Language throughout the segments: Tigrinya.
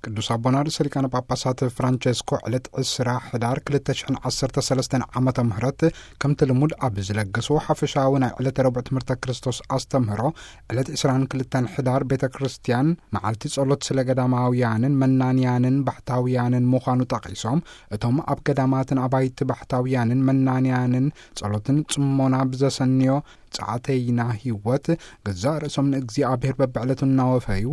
ቅዱስ ኣቦና ርእሰ ሊቃነ ጳጳሳት ፍራንቸስኮ ዕለት ዕስራ ሕዳር ክልተ ሽሕን ዓሰርተ ሰለስተን ዓመተ ምህረት ከምቲ ልሙድ ኣብ ዝለገስዎ ሓፈሻዊ ናይ ዕለተ ረቡዕ ትምህርተ ክርስቶስ ኣስተምህሮ፣ ዕለት ዕስራን ክልተን ሕዳር ቤተ ክርስቲያን መዓልቲ ጸሎት ስለ ገዳማውያንን መናንያንን ባሕታውያንን ምዃኑ ጠቒሶም፣ እቶም ኣብ ገዳማትን ኣባይቲ ባሕታውያንን መናንያንን ጸሎትን ጽሞና ብዘሰንዮ ጸዓተይና ህይወት ገዛእ ርእሶም ንእግዚኣብሔር በብዕለቱ እናወፈዩ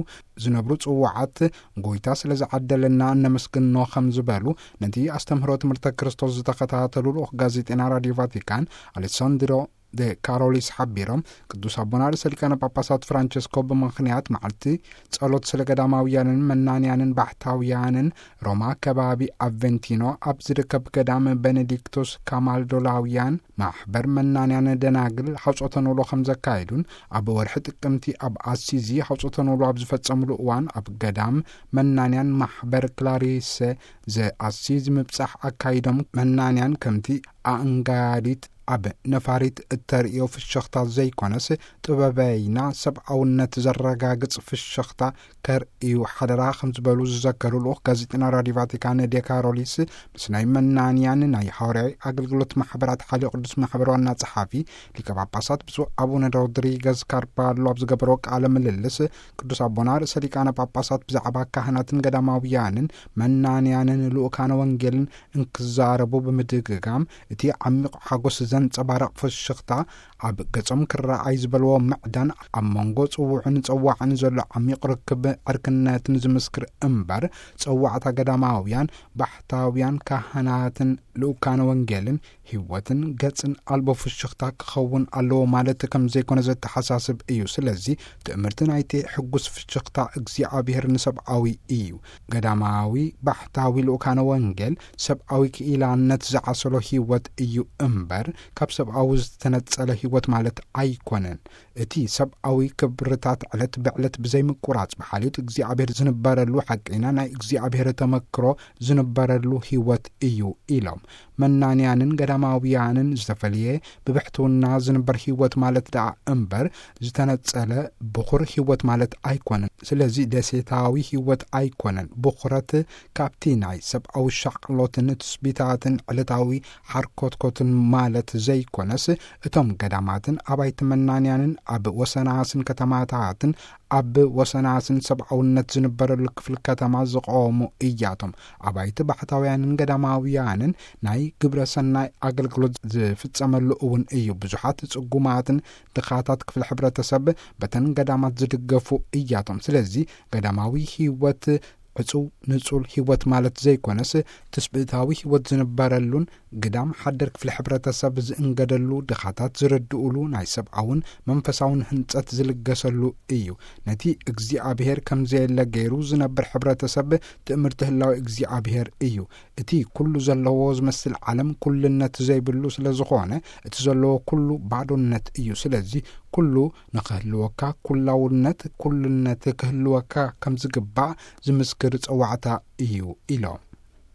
ዝነብሩ ጽዋዓት ጎይታ ስለ ዝዓደለና እነመስግኖ ከም ዝበሉ ነቲ ኣስተምህሮ ትምህርተ ክርስቶስ ዝተኸታተሉ ልኡኽ ጋዜጠና ራድዮ ቫቲካን ኣሌሳንድሮ ደ ካሮሊስ ሓቢሮም፣ ቅዱስ ኣቦና ርእሰ ሊቃነ ጳጳሳት ፍራንቸስኮ ብምኽንያት መዓልቲ ጸሎት ስለ ገዳማውያንን መናንያንን ባሕታውያንን ሮማ ከባቢ ኣቨንቲኖ ኣብ ዝርከብ ገዳም ቤኔዲክቶስ ካማልዶላውያን ማሕበር መናንያን ደናግል ሓውጾተ ኖሎ ከም ዘካየዱን፣ ኣብ ወርሒ ጥቅምቲ ኣብ ኣሲዚ ሓውጾተ ኖሎ ኣብ ዝፈጸምሉ እዋን ኣብ ገዳም መናንያን ማሕበር ክላሪሰ ዘኣሲዚ ምብጻሕ ኣካይዶም፣ መናንያን ከምቲ ኣእንጋዲት ኣብ ነፋሪት እተርእዮ ፍሽኽታ ዘይኮነስ፣ ጥበበይና ሰብኣውነት ዘረጋግጽ ፍሽኽታ ከርእዩ ሓደራ ከም ዝበሉ ዝዘከሩ ልኡኽ ጋዜጠና ራድዮ ቫቲካን ዴካሮሊስ፣ ምስ ናይ መናንያን ናይ ሃዋርያዊ ኣገልግሎት ማሕበራት ሓልዮ ቅዱስ ማሕበር ዋና ጸሓፊ ሊቀ ጳጳሳት ብፁዕ ኣቡነ ሮድሪገዝ ካርባሎ ኣብ ዝገበሮ ቃለ ምልልስ፣ ቅዱስ ኣቦና ርእሰ ሊቃነ ጳጳሳት ብዛዕባ ካህናትን ገዳማውያንን መናንያንን ልኡካነ ወንጌልን እንክዛረቡ ብምድግጋም፣ እቲ ዓሚቕ ሓጎስ ዘንጸባርቕ ፍሽኽታ ኣብ ገጾም ክረኣይ ዝበልዎ ምዕዳን፣ ኣብ መንጎ ጽውዑን ጸዋዕን ዘሎ ዓሚቕ ርክብ ዕርክነትን ዝምስክር እምበር፣ ጸዋዕታ ገዳማውያን፣ ባሕታውያን፣ ካህናትን ልኡካነ ወንጌልን ህይወትን ገጽን ኣልቦ ፍሽኽታ ክኸውን ኣለዎ ማለት ከም ዘይኮነ ዘተሓሳስብ እዩ። ስለዚ ትእምርቲ ናይቲ ሕጉስ ፍሽኽታ እግዚኣብሔር ንሰብኣዊ እዩ። ገዳማዊ ባሕታዊ ልኡካነ ወንጌል ሰብኣዊ ክኢላነት ዝዓሰሎ ህይወት እዩ እምበር፣ ካብ ሰብኣዊ ዝተነጸለ ህይወት ማለት ኣይኮነን። እቲ ሰብኣዊ ክብርታት ዕለት ብዕለት ብዘይምቁራጽ ብሓልዮት እግዚኣብሔር ዝንበረሉ ሓቀይና ናይ እግዚኣብሔር ተመክሮ ዝንበረሉ ህይወት እዩ ኢሎም። መናንያንን ገዳማውያንን ዝተፈልየ ብብሕትውና ዝንበር ህይወት ማለት ደኣ እምበር፣ ዝተነጸለ ብኹር ህይወት ማለት ኣይኮነን። ስለዚ ደሴታዊ ህይወት ኣይኮነን። ብኹረት ካብቲ ናይ ሰብኣዊ ሻቕሎትን ትስቢታትን ዕለታዊ ሓርኮትኮትን ማለት ዘይኮነስ፣ እቶም ገዳማትን ኣባይቲ መናንያንን ኣብ ወሰናስን ከተማታትን ኣብ ወሰናስን ሰብኣውነት ዝንበረሉ ክፍሊ ከተማ ዝቐወሙ እያቶም። ኣባይቲ ባሕታውያንን ገዳማውያንን ናይ ግብረ ሰናይ ኣገልግሎት ዝፍጸመሉ እውን እዩ። ብዙሓት ጽጉማትን ድኻታት ክፍሊ ሕብረተሰብ በተን ገዳማት ዝድገፉ እያቶም። ስለዚ ገዳማዊ ህይወት ዕጹው ንጹል ህይወት ማለት ዘይኮነስ፣ ትስብእታዊ ህይወት ዝንበረሉን ግዳም ሓደር ክፍሊ ሕብረተሰብ ዝእንገደሉ፣ ድኻታት ዝረድኡሉ ናይ ሰብኣውን መንፈሳውን ህንጸት ዝልገሰሉ እዩ። ነቲ እግዚኣብሔር ከም ዘየለ ገይሩ ዝነብር ሕብረተሰብ ትእምርቲ ህላዊ እግዚኣብሔር እዩ። እቲ ኩሉ ዘለዎ ዝመስል ዓለም ኩልነት ዘይብሉ ስለ ዝኾነ፣ እቲ ዘለዎ ኩሉ ባዶነት እዩ። ስለዚ ኩሉ ንኽህልወካ፣ ኩላውነት፣ ኩልነት ክህልወካ ከም ዝግባእ ዝምስክር ጸዋዕታ እዩ ኢሎም።